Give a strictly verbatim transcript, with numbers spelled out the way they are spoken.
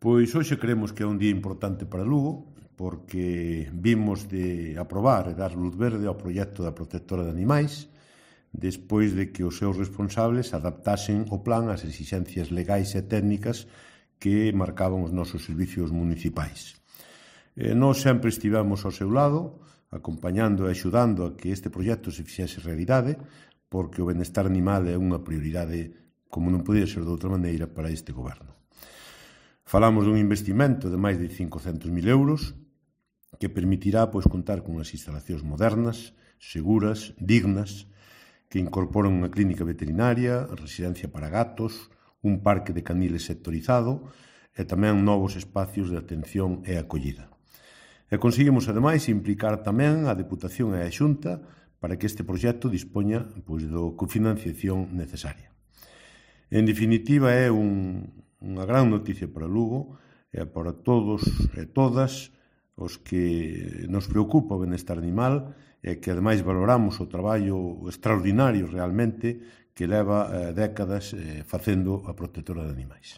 Pois hoxe creemos que é un día importante para Lugo, porque vimos de aprobar e dar luz verde ao proxecto da protectora de animais, despois de que os seus responsables adaptasen o plan ás exixencias legais e técnicas que marcaban os nosos servicios municipais. E nós sempre estivemos ao seu lado, acompañando e axudando a que este proxecto se fixese realidade, porque o benestar animal é unha prioridade, como non podía ser de outra maneira, para este goberno. Falamos dun investimento de máis de cincocentos mil euros que permitirá pois, contar con unhas instalacións modernas, seguras, dignas, que incorporan unha clínica veterinaria, residencia para gatos, un parque de caniles sectorizado e tamén novos espacios de atención e acollida. E conseguimos, ademais, implicar tamén a Deputación e a Xunta para que este proxecto dispoña pois, do cofinanciación necesaria. En definitiva, é un, unha gran noticia para Lugo e para todos e todas os que nos preocupa o benestar animal e que, ademais, valoramos o traballo extraordinario realmente que leva eh, décadas eh, facendo a protectora de animais.